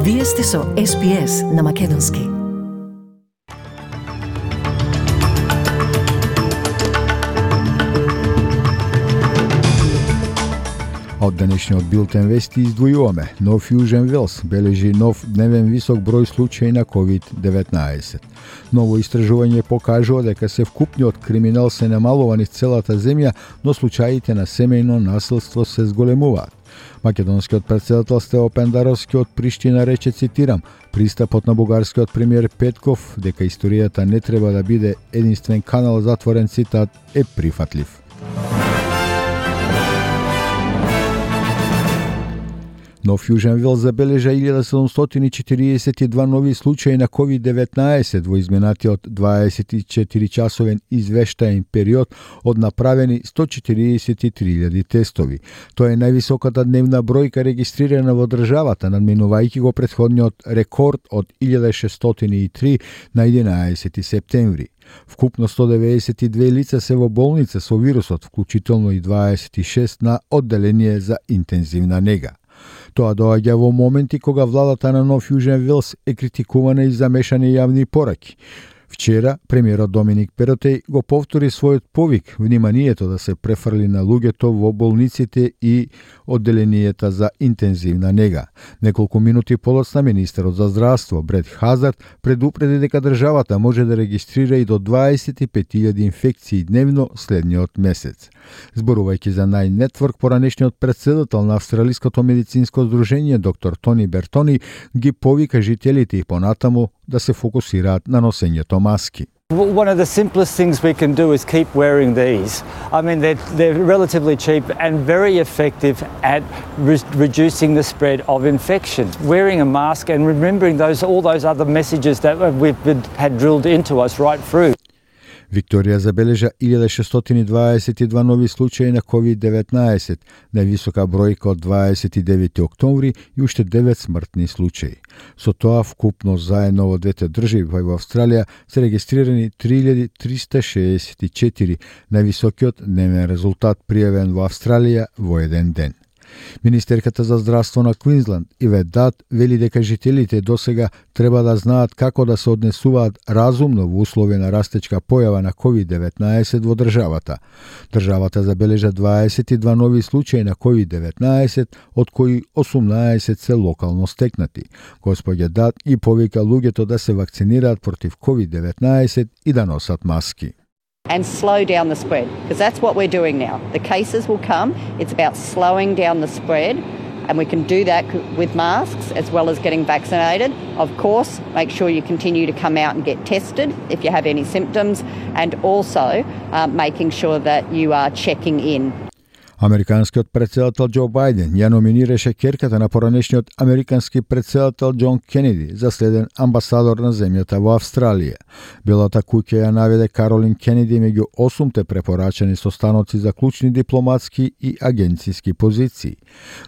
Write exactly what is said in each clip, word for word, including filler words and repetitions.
Вие сте со Ес Би Ес на Македонски. Од денешниот билтен вести издвојуваме. Нов Јужен Велс бележи нов дневен висок број случаи на ковид деветнаесет. Ново истражување покажува дека се вкупниот криминал се намалува низ целата земја, но случаите на семејно насилство се зголемуваат. Македонскиот претседател Стево Пендаровски од Приштина рече, цитирам, пристапот на бугарскиот премиер Петков дека историјата не треба да биде единствен канал, затворен цитат, е прифатлив. Нов Јужен Велс забележа илјада седумстотини и четириесет и два нови случаи на ковид деветнаесет во изминатиот дваесет и четири часовен извештаен период од направени сто четириесет и три илјади тестови. Тоа е највисоката дневна бројка регистрирана во државата, надминувајќи го претходниот рекорд од илјада шестстотини и три на единаесети септември. Вкупно сто деветдесет и две лица се во болница со вирусот, вклучително и дваесет и шест на одделение за интензивна нега. Тоа доаѓа во моменти кога владата на Нов Јужен Велс е критикувана и за мешани јавни пораки. Вчера, премиерот Доминик Перотеј го повтори својот повик вниманието да се префрли на луѓето во болниците и одделенијата за интензивна нега. Неколку минути подоцна министерот за здравство Брет Хазард предупреди дека државата може да регистрира и до дваесет и пет илјади инфекции дневно следниот месец. Зборувајќи за Најн Нетворк, поранешниот претседател на Австралиското медицинско здружение доктор Тони Бертони ги повика жителите и понатаму да се фокусираат на носењето маски. One of the simplest things we can do is keep wearing these. I mean, they're, they're relatively cheap and very effective at re- reducing the spread of infections. Wearing a mask and remembering those all those other messages that we've been, had drilled into us right through. Викторија забележа илјада шестстотини дваесет и два нови случаи на ковид деветнаесет, највисока бројка од дваесет и девети октомври и уште девет смртни случаи. Со тоа вкупно заедно во двете држави во Австралија се регистрирани три илјади триста шеесет и четири, највисокиот дневен резултат пријавен во Австралија во еден ден. Министерката за здравство на Квинсланд Ивет Дат вели дека жителите досега треба да знаат како да се однесуваат разумно во услови на растечка појава на ковид деветнаесет во државата. Државата забележа дваесет и два нови случаи на ковид деветнаесет, од кои осумнаесет се локално стекнати. Господја Дат и повика луѓето да се вакцинираат против ковид деветнаесет и да носат маски. And slow down the spread, because that's what we're doing now. The cases will come. It's about slowing down the spread, and we can do that with masks as well as getting vaccinated. Of course, make sure you continue to come out and get tested if you have any symptoms, and also uh, making sure that you are checking in. Американскиот претседател Џо Бајден ја номинираше ќерката на поранешниот американски претседател Џон Кенеди за следен амбасадор на земјата во Австралија. Белата куќа ја наведе Каролин Кенеди меѓу осумте препорачани состаноци за клучни дипломатски и агенциски позиции.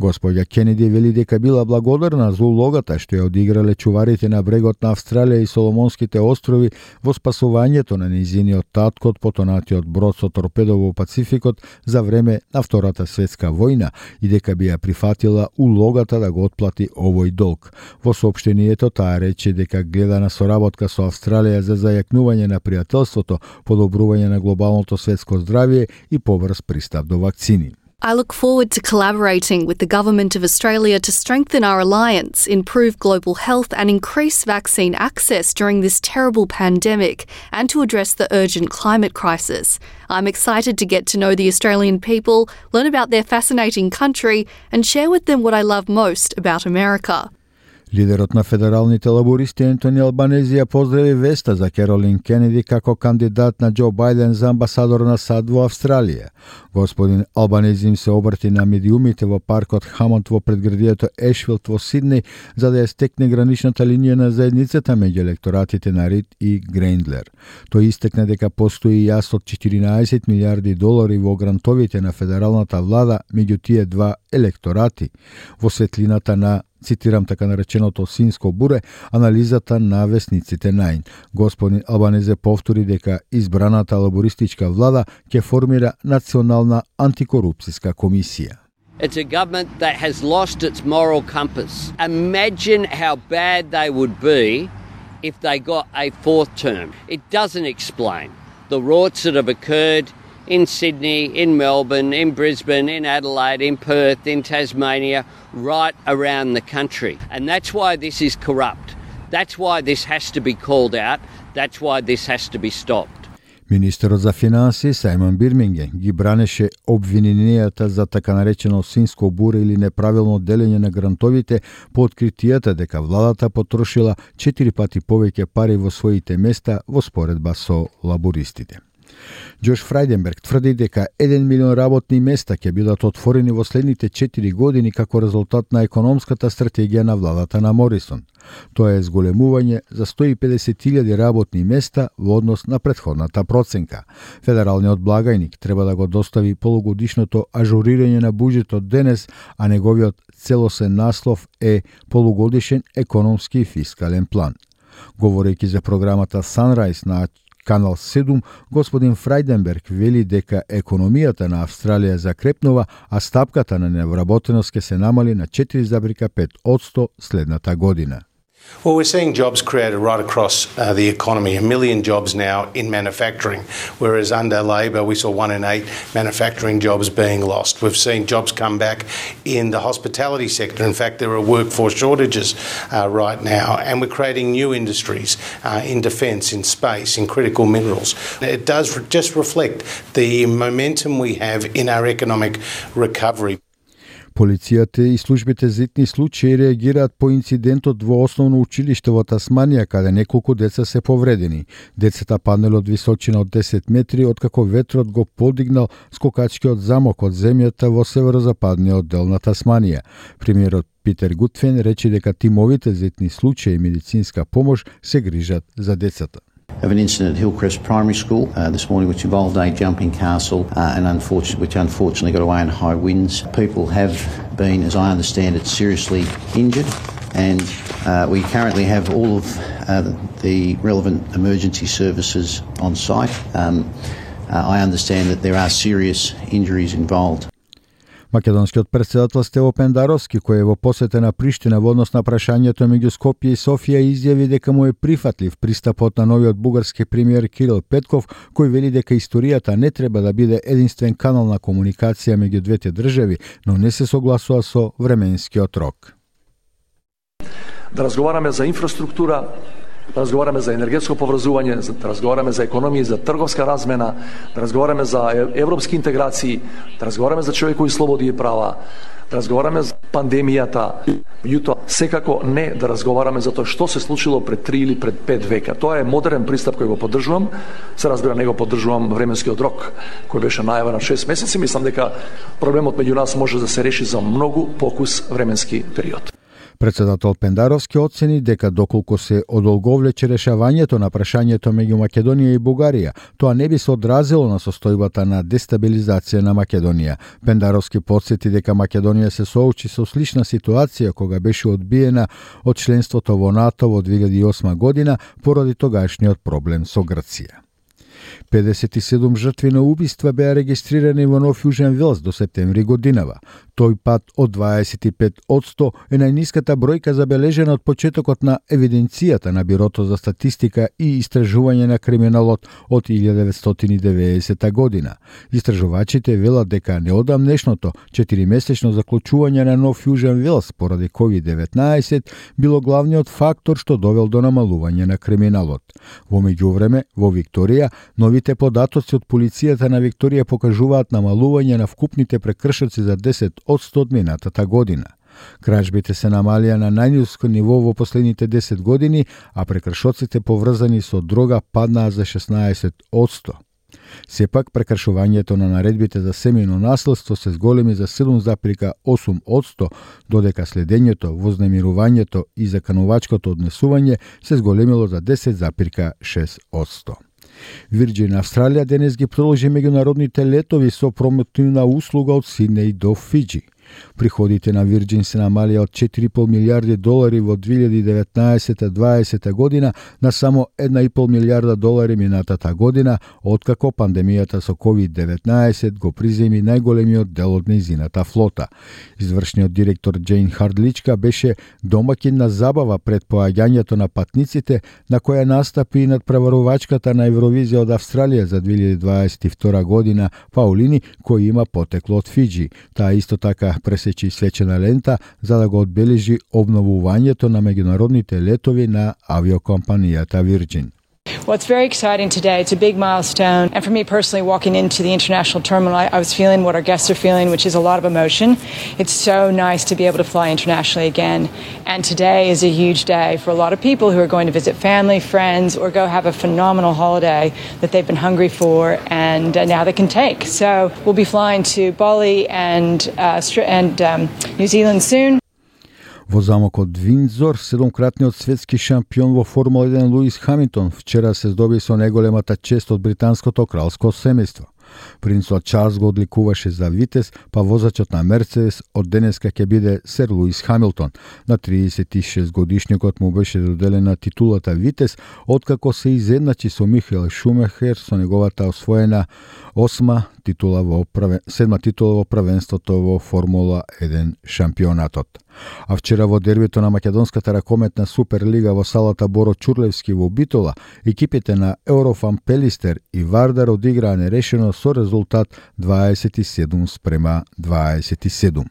Господја Кенеди вели дека била благодарна за улогата што ја одиграле чуварите на брегот на Австралија и Соломонските острови во спасувањето на нејзиниот татко од потонатиот брод со торпедо во Пацификот за време на Втората светска војна и дека би ја прифатила улогата да го отплати овој долг. Во соопштението таа рече дека гледа на соработка со Австралија за зајакнување на пријателството, подобрување на глобалното светско здравје и побрз пристап до вакцини. I look forward to collaborating with the Government of Australia to strengthen our alliance, improve global health and increase vaccine access during this terrible pandemic and to address the urgent climate crisis. I'm excited to get to know the Australian people, learn about their fascinating country and share with them what I love most about America. Лидерот на федералните лабористи Ентони Албанези ја поздрави веста за Каролин Кенеди како кандидат на Џо Бајден за амбасадор на САД во Австралија. Господин Албанези им се обрати на медиумите во паркот Хамонд во предградието Ешфилд во Сиднеј за да ја стекне граничната линија на заедницата меѓу електоратите на Рид и Грейндлер. Тој истекна дека постои јас од четиринаесет милијарди долари во грантовите на федералната влада меѓу тие два електорати во светлината на, цитирам така нареченото синско буре, анализата на весниците Најн. Господин Албанезе повтори дека избраната лабористичка влада ќе формира национална антикорупцијска комисија. It's a government that has lost its moral compass. Imagine how bad they would be if they got a fourth term. It doesn't explain the rorts that have occurred in Sydney, in Melbourne, in Brisbane, in Adelaide, in Perth, in Tasmania, right around the country. And that's why this is corrupt. That's why this has to be called out. That's why this has to be stopped. Министерот за финансии Сајмон Бирминген ги бранеше обвиненијата за така наречено свинско буре или неправилно делење на грантовите по откритијата дека владата потрошила четири пати повеќе пари во своите места во споредба со лабористите. Джош Фрајденберг тврди дека еден милион работни места ќе бидат отворени во следните четири години како резултат на економската стратегија на владата на Морисон. Тоа е зголемување за сто и педесет илјади работни места во однос на претходната проценка. Федералниот благајник треба да го достави полугодишното ажурирање на буџетот денес, а неговиот целосен наслов е полугодишен економски и фискален план. Говорејќи за програмата Sunrise на Канал седум, господин Фрајденберг вели дека економијата на Австралија закрепнува, а стапката на невработеност ќе се намали на четири зарез пет одсто следната година. Well, we're seeing jobs created right across uh, the economy, a million jobs now in manufacturing, whereas under Labor we saw one in eight manufacturing jobs being lost. We've seen jobs come back in the hospitality sector. In fact, there are workforce shortages uh, right now, and we're creating new industries uh, in defence, in space, in critical minerals. It does re- just reflect the momentum we have in our economic recovery. Полицијата и службите за итни случаи реагираат по инцидентот во основно училиште во Тасманија, каде неколку деца се повредени. Децата паднале од височина од десет метри, откако ветрот го подигнал скокачкиот замок од земјата во северозападниот дел на Тасманија. Премиерот Питер Гутфен рече дека тимовите за итни случаи и медицинска помош се грижат за децата. Of an incident at Hillcrest Primary School uh, this morning, which involved a jumping castle, uh, and unfortunately, which unfortunately got away in high winds. People have been, as I understand it, seriously injured, and uh, we currently have all of uh, the relevant emergency services on site. Um, uh, I understand that there are serious injuries involved. Македонскиот претседател Стево Пендаровски, кој е во посета на Приштина во однос на прашањето меѓу Скопје и Софија, изјави дека му е прифатлив пристапот на новиот бугарски премиер Кирил Петков, кој вели дека историјата не треба да биде единствен канал на комуникација меѓу двете држави, но не се согласува со временскиот рок. Да разговараме за инфраструктура, да разговараме за енергетско поврзување, да разговараме за економија, за трговска размена, да разговараме за европски интеграции, да разговараме за човекови слободи и права, да разговараме за пандемијата. Меѓутоа, секако не да разговараме за тоа што се случило пред три или пред пет века. Тоа е модерен пристап кој го поддржувам. Се разбира, не го поддржувам временскиот рок кој беше најавен на шест месеци. Мислам дека проблемот меѓу нас може да се реши за многу покус временски период. Претседател Пендаровски оцени дека доколку се одолговлече решавањето на прашањето меѓу Македонија и Бугарија, тоа не би се одразило на состојбата на дестабилизација на Македонија. Пендаровски потсети дека Македонија се соочи со слична ситуација кога беше одбиена од членството во НАТО во две илјади и осма година поради тогашниот проблем со Грција. педесет и седум жртви на убиства беа регистрирани во Нов Јужен Велс до септември годинава. Тој пат од дваесет и пет одсто е најниската бројка забележена од почетокот на евиденцијата на Бирото за статистика и истражување на криминалот од илјада деветстотини и деветдесета година. Истражувачите велат дека неодамнешното четиримесечно заклучување на Нов Јужен Велс поради ковид деветнаесет било главниот фактор што довел до намалување на криминалот. Во меѓувреме, во Викторија, новите податоци од полицијата на Викторија покажуваат намалување на вкупните прекршоци за десет одсто од минатата година. Кражбите се намалија на најниско ниво во последните десет години, а прекршоците поврзани со дрога паднаа за шеснаесет одсто. Сепак, прекршувањето на наредбите за семејно наследство се зголеми за седум зарез осум одсто, додека следењето, вознемирувањето и заканувачкото однесување се зголемило за десет зарез шест одсто. Virgin Австралија денес ги продолжи меѓународните летови со промотивна услуга од Сиднеј до Фиџи. Приходите на Virgin се намалија од четири и пол милијарди долари во две илјади и деветнаесета дваесета година на само една и пол милијарда долари минатата година, откако пандемијата со ковид деветнаесет го приземи најголемиот дел од нејзината флота. Извршниот директор Џејн Хардличка беше домаќин на забава пред поаѓањето на патниците, на која настапи и надпреварувачката на Евровизија од Австралија за две илјади дваесет и втора година, Паулини, кој има потекло од Фиџи. Таа исто така пресечи свечена лента за да го одбележи обновувањето на меѓународните летови на авиокомпанијата Virgin. Well, it's very exciting today. It's a big milestone. And for me personally, walking into the international terminal, I, I was feeling what our guests are feeling, which is a lot of emotion. It's so nice to be able to fly internationally again. And today is a huge day for a lot of people who are going to visit family, friends, or go have a phenomenal holiday that they've been hungry for and uh, now they can take. So we'll be flying to Bali and, uh, and um, New Zealand soon. Во замокот Виндзор, седомкратниот светски шампион во Формула еден Луис Хамилтон вчера се здоби со најголемата чест од британското кралско семејство. Принцот Чарлс го одликуваше за витез, па возачот на Мерцедес од денеска ќе биде Сер Луис Хамилтон. На триесет и шест годишникот му беше доделена титулата витез, откако се изедначи со Михаел Шумахер со неговата освоена осма титула во правен... седма титула во првенството во Формула еден шампионатот. А вчера во дербито на македонската ракометна Суперлига во салата Боро Чурлевски во Битола, екипите на Еврофан Пелистер и Вардар одиграа нерешено со резултат дваесет и седум спрема дваесет и седум.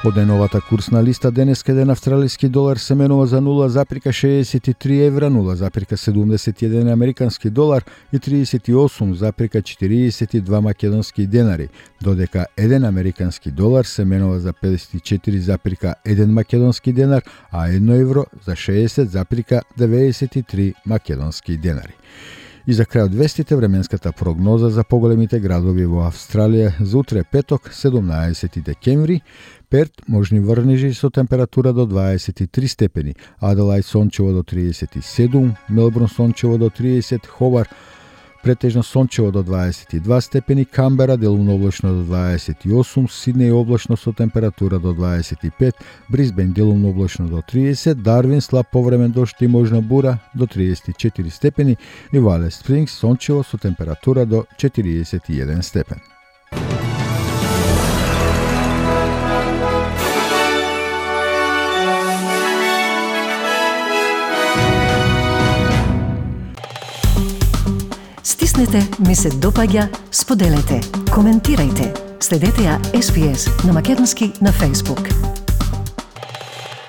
Од најновата курсна листа денеска еден австралиски долар се менува за нула запирка шеесет и три евра, нула запирка седумдесет и еден американски долар и триесет и осум запирка четириесет и два македонски денари, додека еден американски долар се менува за педесет и четири запирка еден македонски денар, а едно евро за шеесет запирка деветдесет и три македонски денари. И за крај од вестите, временската прогноза за поголемите градови во Австралија за утре петок, седумнаесети декември, Перт можни врнежи со температура до дваесет и три степени, Аделајд сончево до триесет и седум, Мелбурн сончево до триесет, Хобар претежно сончево до дваесет и два степени, Камбера делумно облачно до дваесет и осум, Сиднеј облачно со температура до дваесет и пет, Брисбен делумно облачно до триесет, Дарвин слаб повремен дожд и можна бура до триесет и четири степени и Валес Спрингс сончево со температура до четириесет и еден степен. Стиснете, ми се допаѓа, споделете, коментирајте. Следете ја Ес Би Ес на македонски на Facebook.